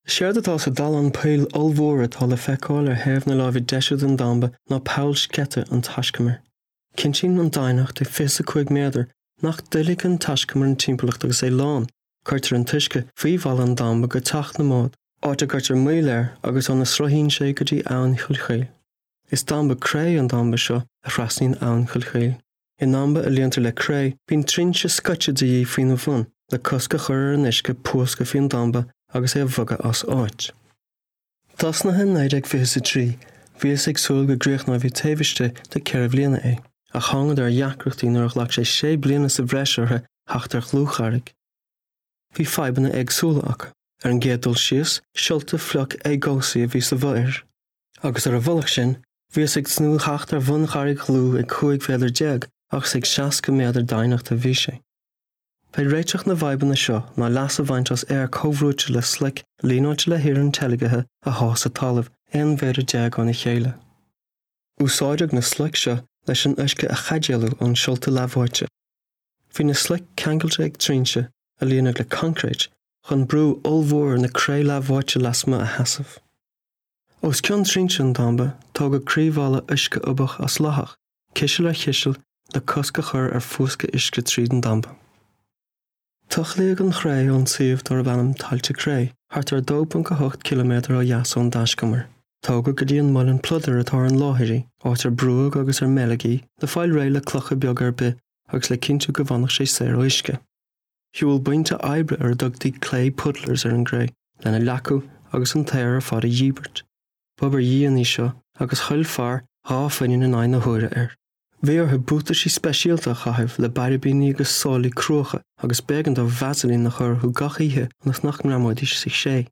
Séard atá sa dallán poill ollmhór atá le feiceáil ar thaobh na láimhe deise den damba ná poll sceite an taiscumair. Cinntíonn an doimhneacht de 25 méadar nach dtuillfidh an taiscumar an timpeallacht agus é lán. Cuirtear an t-uisce faoi bhalla an damba go teach na mbád, áit a gcuirtear moill air agus óna sruthaíonn sé go dtí Abhainn Chill Chaoil. Is damba cré an damba seo a thrasnaíonn Abhainn Chill Chaoil. I ndamba a líontar le cré, bíonn trinse scoite de dhíth faoina bhun le cosc a chur ar an uisce púscadh faoin damba agus é a bhogadh as áit. Tosnaithe in 1923, bhíothas ag súil go gcríochnófaí taobh istigh de cheithre bhliana é, ach thángadar ar dheacrachtaí nuair a ghlac sé sé bliana sa bhreis orthu theacht ar dhlúthcharraig. Bhí fadhbanna éagsúla acu. Ar an gcéad dul síos, siolta fliuch éagobhsaí a bhí sa bhfo-ithir. Agus ar a mhullach sin, bhíothas ag tnúth theacht ar bhuncharraig dhlúth ag 15 mhéadar ach is ag 60 méadar doimhneachta a bhí sé. B'é réiteach na bhfadhbanna seo ná leas a bhaint as aer comhbhrúite le sloic líneáilte le hiarann teilgthe a shá sa talamh 11 mhéadar óna chéile. Úsáideadh na sloic seo leis an uisce a chaidéalú ón siolta leathbháite. Bhí na sloic ceangailte ag trinse, a líonadh le coincréit, chun brú ollmhór na cré leathbháite lasmuigh a sheasamh. Os cionn trinse an damba, tógadh croíbhalla uisce-ubhach as lathach, ciseal ar chiseal, le cosc a chur ar phúscadh uisce tríd an damba. Tochlaíodh an chré ón suíomh darb ainm Tailte Cré, thart ar 2.8 ciliméadar ó dheas ón dtaiscumar. Tógadh go dtí an muileann pludair atá ar an láthair í, áit ar brúadh agus ar meileadh í le fáil réidh le clocha beaga ar bith agus le cinntiú go bhfanfadh sé saor ó uisce. Shiúil buíonta oibre ar a dtugtaí clay puddlers ar an gcré lena leacú agus an t-aer ar fad a dhíbirt. B'obair dhian í seo agus thuill fear 2 phingin in aghaidh na huaire air. Bhí orthu buataisí speisialta a chaitheamh le bairibíní agus sálaí cruacha agus b'éigean dóibh vaseline a chur orthu gach oíche ionas nach ngreamóidís sa chré.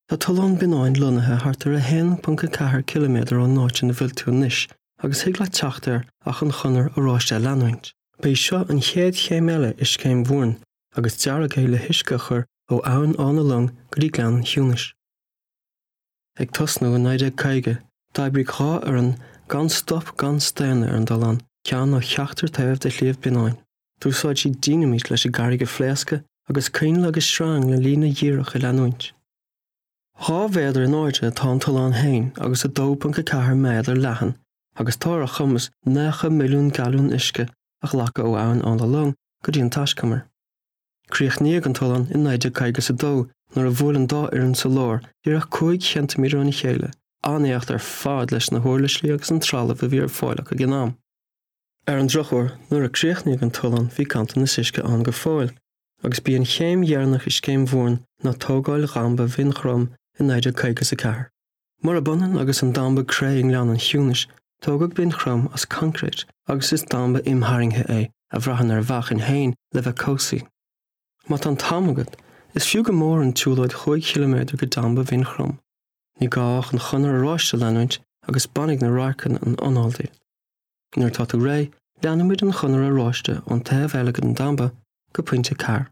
Tá Tollán Bionnáin lonnaithe thart ar 1.4 ciliméadar ón áit ina bhfuil tú anois agus thig leat teacht air ach an Chonair Oráiste a leanúint. Ba í seo an chéad chéim eile i Scéim Mhúrn agus dearadh é le huisce a chur ó Abhainn Áth na Long go dtí Gleann an Chiúnais. Ag tosnú i 1950, d'oibrigh 2 fhoireann gan stop gan staonadh ar an dtollán, ceann ó cheachtar taobh de Shliabh Bionnáin. D'úsáid siad dínimít leis an gcarraig a phléascadh agus coinnle agus sreang le líne dhíreach a leanúint. 2 mhéadar in airde atá an tollán féin agus 2.4 méadar leathan agus tá ar a chumas 90 milliún galún uisce a ghlacadh ó Abhainn Áth na Long go dtí an taiscumar. Críochnaíodh an tollán i 1952 nuair a bhuail an dá fhoireann sa lár díreach 5 cheintiméadar óna chéile, an-éacht ar fad leis na huirlisí agus an trealamh a bhí ar fáil acu ag an am. Ar an drochuair, nuair a críochnaíodh an tollán bhí ganntanas uisce ann go fóill, agus b'í an chéim dheireanach i Scéim Mhúrn ná tógáil dhamba Bhinn Chrom i 1954. Murab ionann agus an damba cré i nGleann an Chiúnais, tógadh Binn Chrom as coincréit agus is damba imtharraingthe é a bhraitheann ar a mheáchan féin le bheith cobhsaí. Má tá an t-am agat, is fiú go mór an tsiúlóid chúig chiliméadar go damba Bhinn Chrom. Ní gá ach an Chonair Oráiste a leanúint agus bainfidh na radharcanna an anáil díot. Nuair atá tú réidh, leanfaimid an Chonair Oráiste ón taobh eile den damba go pointe cairr.